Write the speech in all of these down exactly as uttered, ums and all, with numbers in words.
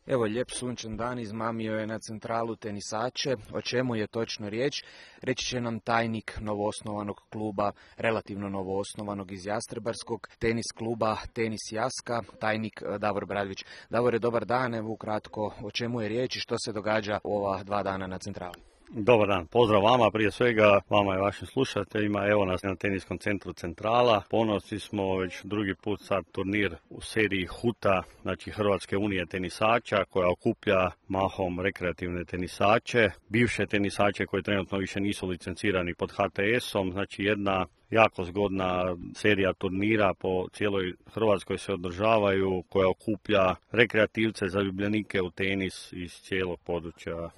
Evo, lijep sunčan dan izmamio je na centralu tenisače. O čemu je točno riječ? Reći će nam tajnik novoosnovanog kluba, relativno novoosnovanog iz Jastrebarskog, tenis kluba Tenis Jaska, tajnik Davor Bradović. Davore, dobar dan, evo ukratko o čemu je riječ i što se događa u ova dva dana na centrali. Dobar dan, pozdrav vama, prije svega vama i vašim slušateljima. Evo nas na teniskom centru Centrala. Ponosni smo već drugi put sad turnir u seriji HUTA, znači Hrvatske unije tenisača, koja okuplja mahom rekreativne tenisače, bivše tenisače koji trenutno više nisu licencirani pod H T S-om, znači jedna jako zgodna serija turnira po cijeloj Hrvatskoj se održavaju, koja okuplja rekreativce, zaljubljenike u tenis iz cijelog područja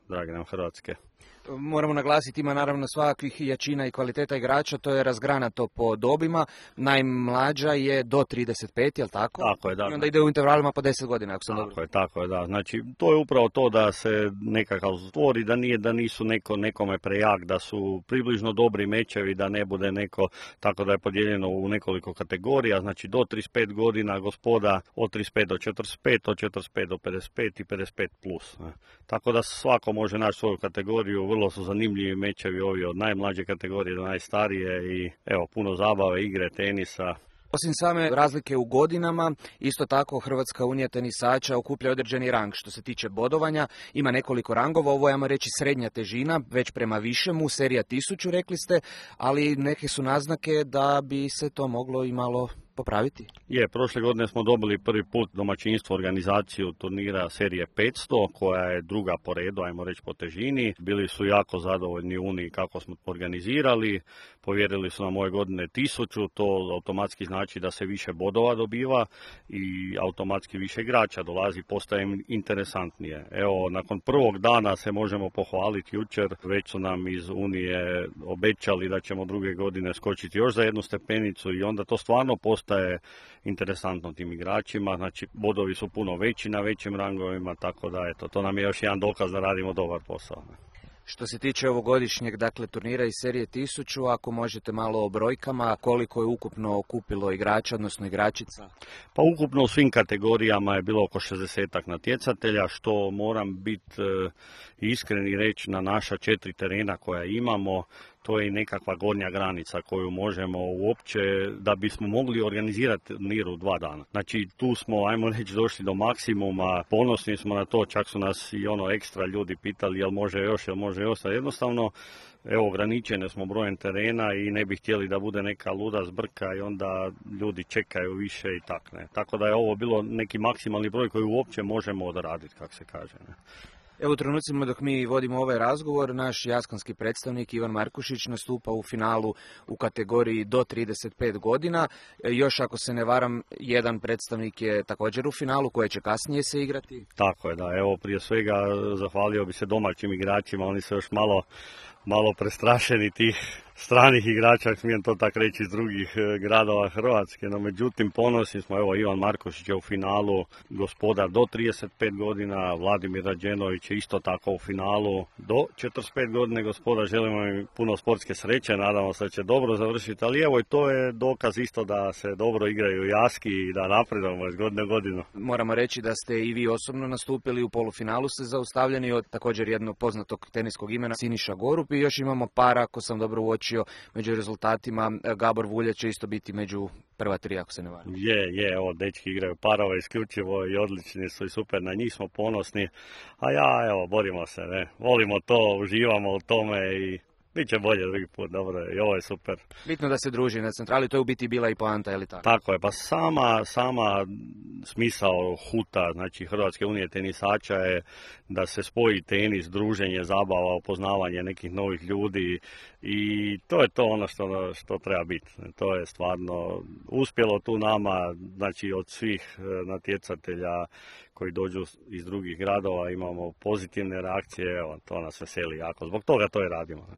drage nam Hrvatske. Moramo naglasiti, ima naravno svakakvih jačina i kvaliteta igrača, to je razgranato po dobima. Najmlađa je do trideset pet, je li tako? Tako je, da. I onda ide u intervalima po deset godina, ako sam tako dobro. je, tako je, da. Znači, to je upravo to da se nekakav stvori, da nije da nisu neko nekome prejak, da su približno dobri mečevi, da ne bude neko, tako da je podijeljeno u nekoliko kategorija, znači do trideset pet godina gospoda, od trideset pet do četrdeset pet, od četrdeset pet do pedeset pet i pedeset pet plus. Ne. Tako da svako može naći svoju kategoriju. Vrlo su zanimljivi mečevi ovi od najmlađe kategorije do najstarije i evo puno zabave, igre, tenisa. Osim same razlike u godinama, isto tako Hrvatska unija tenisača okuplja određeni rang. Što se tiče bodovanja, ima nekoliko rangova, ovo je, ajmo reći, srednja težina, već prema višemu, serija tisuću, rekli ste, ali neke su naznake da bi se to moglo i malo popraviti. Je, prošle godine smo dobili prvi put domaćinstvo organizaciju turnira serije petsto, koja je druga po redu, ajmo reći po težini. Bili su jako zadovoljni Uniji kako smo organizirali, povjerili su nam ove godine tisuću, to automatski znači da se više bodova dobiva i automatski više igrača dolazi, postaje im interesantnije. Evo, nakon prvog dana se možemo pohvaliti jučer, već su nam iz Unije obećali da ćemo druge godine skočiti još za jednu stepenicu i onda to stvarno postaje je interesantno tim igračima, znači bodovi su puno veći na većim rangovima, tako da eto, to nam je još jedan dokaz da radimo dobar posao. Što se tiče ovogodišnjeg, dakle, turnira iz serije tisuću, ako možete malo o brojkama, koliko je ukupno okupilo igrača, odnosno igračica? Pa ukupno u svim kategorijama je bilo oko šezdesetak natjecatelja, što moram biti e, iskren i reći na naša četiri terena koja imamo, to je i nekakva gornja granica koju možemo uopće da bismo mogli organizirati turnir u dva dana. Znači tu smo, ajmo reći, došli do maksimuma, ponosni smo na to, čak su nas i ono ekstra ljudi pitali jel može još, jel može još, jednostavno evo ograničene smo brojem terena i ne bi htjeli da bude neka luda zbrka i onda ljudi čekaju više i tak ne. Tako da je ovo bilo neki maksimalni broj koji uopće možemo odraditi, kako se kaže. Ne. Evo u trenucima dok mi vodimo ovaj razgovor, naš jaskanski predstavnik Ivan Markušić nastupa u finalu u kategoriji do trideset pet godina. Još ako se ne varam, jedan predstavnik je također u finalu koje će kasnije se igrati. Tako je, da. Evo prije svega zahvalio bi se domaćim igračima, oni su još malo, malo prestrašeni tih stranih igrača, smijem to tako reći, iz drugih gradova Hrvatske, no međutim ponosni smo, evo Ivan Markošić je u finalu, gospodar do trideset pet godina, Vladimir Rađenović je isto tako u finalu, do četrdeset pet godine gospodar, želimo im puno sportske sreće, nadamo se da će dobro završiti, ali evo i to je dokaz isto da se dobro igraju jaski i da napredujemo iz godine u godinu. Moramo reći da ste i vi osobno nastupili u polufinalu, ste zaustavljeni od također jednog poznatog teniskog imena Siniša Gorup i još imamo par, ako sam dobro uočio, među rezultatima. Gabor Vulja će isto biti među prva tri, ako se ne varam. Je, je, evo, dečki igraju parova isključivo i odlični su i super, na njih smo ponosni, a ja, evo, borimo se, ne, volimo to, uživamo u tome i bit će bolje drugi put, dobro je, i ovo je super. Bitno da se druži na centrali, to je u biti bila i poanta, je li tako? Tako je, pa sama, sama smisao HUTA, znači Hrvatske unije tenisača je da se spoji tenis, druženje, zabava, upoznavanje nekih novih ljudi i to je to ono što, što treba biti. To je stvarno uspjelo tu nama, znači od svih natjecatelja koji dođu iz drugih gradova imamo pozitivne reakcije, evo, to nas veseli jako, zbog toga to i radimo.